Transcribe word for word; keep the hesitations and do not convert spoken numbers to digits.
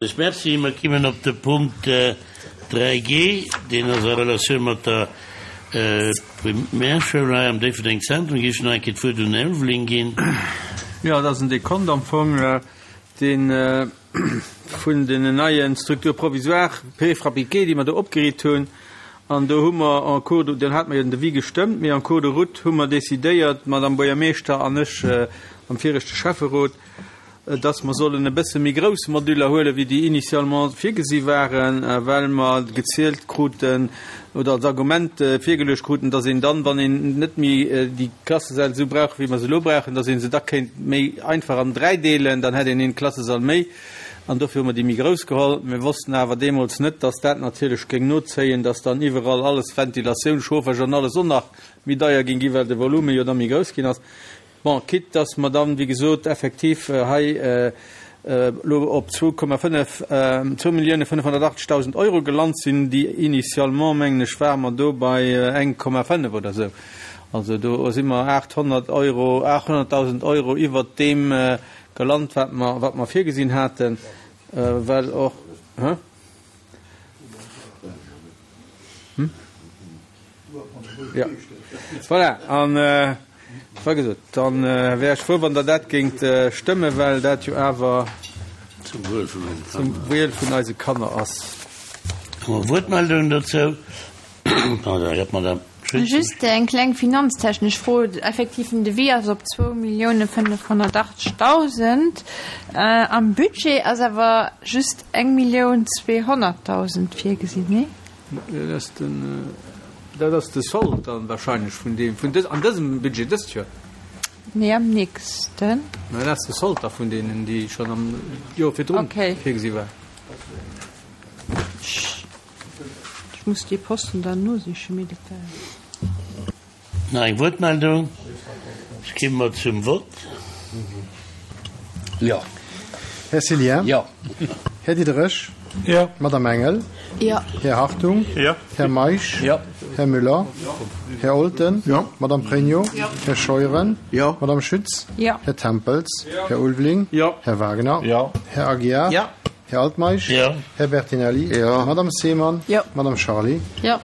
Merci. Mer kimmen op de Punkt dräi G, deen ass a Relatioun mat der Primärschoul hei am Déifferdeng Zentrum. Géif ech nach eng Kéier d'Wuert un den Här Ulveling ginn. Jo, et ass en Dekont am Fong, dee vun den neie Structures provisoires préfabriquées, déi mer do opgeriit hunn. An do hu mer en cours de, deen hate mer jo den Devis gestëmmt, mee en cours de route hu mer decidéiert, d'Madame Buergermeeschter an ech am viregte Schäfferot, dass mer sollen e bësse méi grouss Moduler huelen, wéi déi initialement virgesi waren, well mer gezielt kruten oder als Argument virgeluecht kruten, dass een dann, wann een net méi déi Klassesäll esou brauch, wéi mer se elo brauchen, dass ee se da kéint méi einfach an dräi deelen, dann hätt een een Klassesall méi. An dofir hu mer déi méi grouss geholl. Mir wossten awer deemools net, dass dat natierlech géing nozéien, dass dann iwwerall alles, Ventilatioun, Chauffage an alles och nach méi deier géing ginn, well de Volume jo da méi grouss ginn ass. Bon, quitte dass mer dann, wéi gesot, effektiv hei elo op zwou Komma fënnef, zwou Millioune fënnefhonnertachtzegdausend Euro gelant sinn, déi initialement, mengen ech, ware mer do bei eng Komma fënnef oder esou. Also do si mer aathonnert Euro, aathonnertdausend Euro iwwert deem gelant, wat mer, wat mer virgesinn haten, well och, hä? Hm? Ja. Voilà, an wei gesot, dann wär ech frou, wann Der dat géingt stëmmen, well dat jo awer zum Wuel vun eise Kanner, zum Wuel vun eise Kanner ass. Hu mer Wuertmeldungen dozou? Pardon, jo, d'Madame Schütz. Just eng kleng finanztechnesch Fro. Effektiv, den Devis ass op zwou Millioune fënnefhonnertachtzegdausend. Am Budget ass awer just eng Millioun zweehonnertdausend virgesinn, nee? Dat ass den, dat ass de Sold dann wahrscheinlech vun deem, vun dës, an dësem Budget dëst Joer. Nee, am nächsten. Mä dat ass de Sold da vun deenen, déi schonn am Joer virdrun Okay. virgesi war. Ech muss dee Posten dann nosichen, mee dat war. Nach eng Wuertmeldung? Da komme mer zum Vott. Jo. Här Cillien? Jo. Här Diderich? Jo. Madame Engel? Jo. Här Hartung? Jo. Här Meisch? Jo. Här Müller? Jo. Här Olten? Jo. Madame Pregno? Jo. Här Scheuren? Jo. Madame Schütz? Jo. Här Tempels? Jo. Här Ulveling? Jo. Här Wagner? Jo. Här Aguiar? Jo. Här Altmeisch? Jo. Här Bertinelli? Jo. Madame Seemann? Jo. Madame Charlé? Jo.